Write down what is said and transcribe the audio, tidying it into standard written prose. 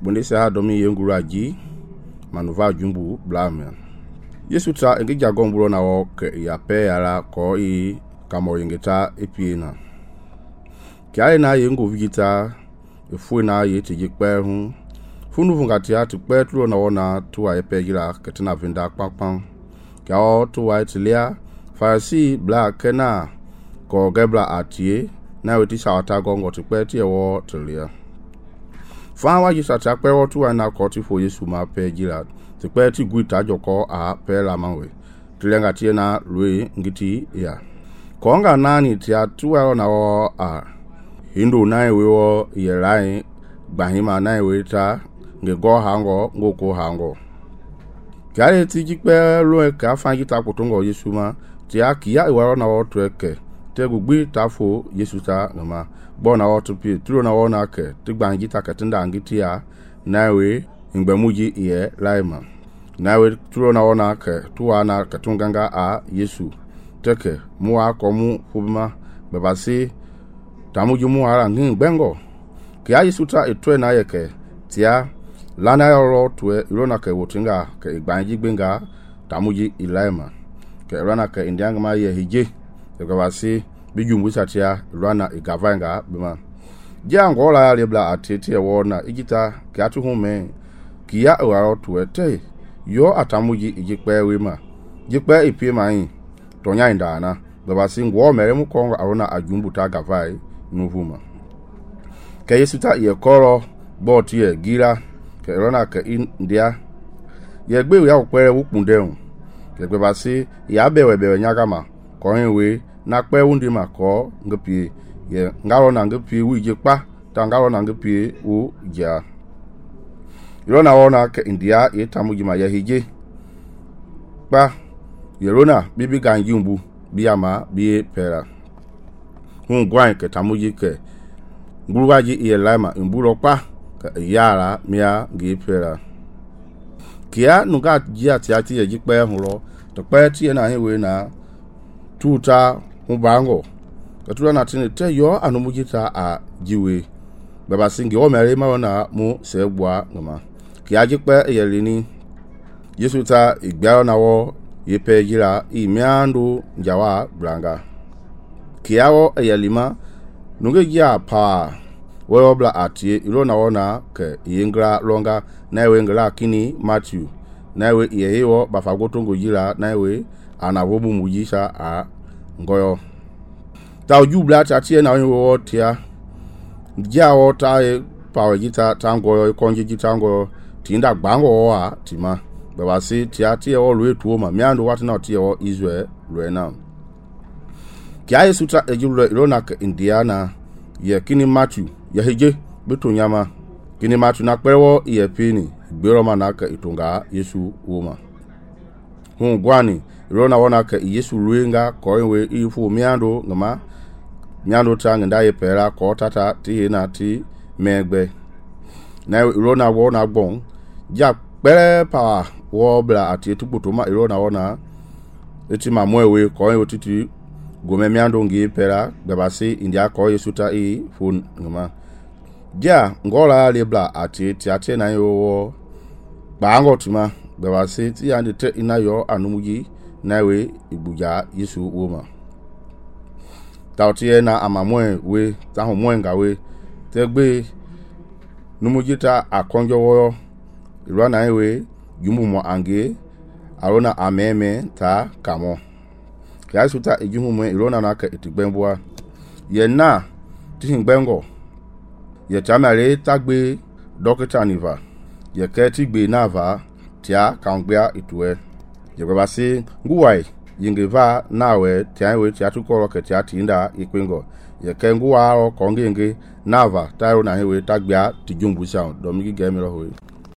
bondese ha domi yenguru aji manuva jumbu blamia Yesu ta ngi jagombulo na wo ke ya pe yala ko i kamo yengeta epiena kia na yengo vigita efu na ye tiji kpe hu funu fungatia tu kpe tulo na wona tuwa epe gira ketina vinda kpakpan kia o tuwa etilia farisi bla kena ko gebla atie na weti shawata gongo tu kpe tie wo telia fa wa ji sa kpe wo tuwa na ko ti fo Yesu ma pe gira tu kpe ti guita joko a pe la manwe tulenga tie na lui ngiti ya konga nani tia tuwa na wo a hindu nai wewo yelai bahima nai weta nge go hango ngoko hango kale tiji kpe lo ka fangi ta kutongo Yesu ma tia kia iwaro na wo tweke te gugbi tafo Yesu ta ngama bona wo to pi tulo na wona ke ti gbangi ta katinda ngitia naiwe ngbemuji ye laima naiwe tulo na wona ke tuwa na katunganga a Yesu teke muwa komu hubma babasi tamuju muara ngi bengo kia Yesu ta etwe na yeke tia lana yoro twe irona ke wotinga ke gbanji gbenga tamuji ilaima ke rana ke indianga ma ye hije ke babasi bijumbu satia rana igavanga bima jango la lebla atete wona igita ke atu hume kia waro twe te yo atamuji ijikpe wema jikpe ipie mai tonya indana babasi ngwo mere mu kongo arona ajumbu ta gavai nuhuma ke Yesu ta ye koro bot ye gira ke rona ke india ye gbe ya opere wukundeun ke gbe basi ya bewe nyagama ko hinwe na pe wundi ma ko ngapie ye ngaro na ngapie wije pa ta ngaro na ngapie u ja rona wona ke india ye tamuji ma ye hije pa ye rona bibi ganjumbu biyama biye pera hun gwan ke tamuji ke nguruwaji iye laima imbulo pa yara mia gipera kia nuga jia tiati ye jikpe hulo to pe tie na hewe na tuta hubango katula na tini te yo anumujita a jiwe baba singi o mere ma na mu sebwa ngama kia jikpe ye lini Yesu ta igba na wo yepe jira imiandu njawa blanga kia wo ye lima nuge jia pa wobla atie ilona wona ke yengra longa nawe ngla kini Matthew nawe yeyo bafagotongo jira nawe anawobu mujisha a ngoyo ta ujubla atie na wo tia jawo ta pawe jita tangoyo konji jitango tinda gbango wa tima babasi tia tie wo lwe tuoma miando watu na tie wo Israel lwena kia Yesu ta ejulwe ilona ke Indiana ye kini Matthew ya hije beto nyama kini matu na kpewo ye pini gbero mana ka itunga Yesu woma hun gwani rona wona ka Yesu ruenga ko enwe ifu miando ngama miando tanga ndaye pera ko tata ti na ti megbe na rona wona gbon ja pere pa wo bla ati tukutuma rona wona eti mamwewe ko enwe titi gome miando ngi pera babasi india ko Yesu ta i fun ngama ja ngola lebla ati tiate na yo bango tima babasi ti yande te ina yo anumuji nawe ibuja Yesu woma tautie na amamwe we ta ho mwenga we tegbe numuji ta akonjo wo irwa na we jumu mo ange arona ameme ta kamo ya suta ejumu mo irona na ka etigbembua ye na ti ngbengo ye chamare tagbe dokita niva ye keti gbe nava tia kangbea itue ye babasi nguwai yingeva nawe tiawe tia tukoro ke tia tinda ikwengo ye kenguwa ro kongenge nava tayo na hewe tagbea tijumbu sound domigi gemiro hoye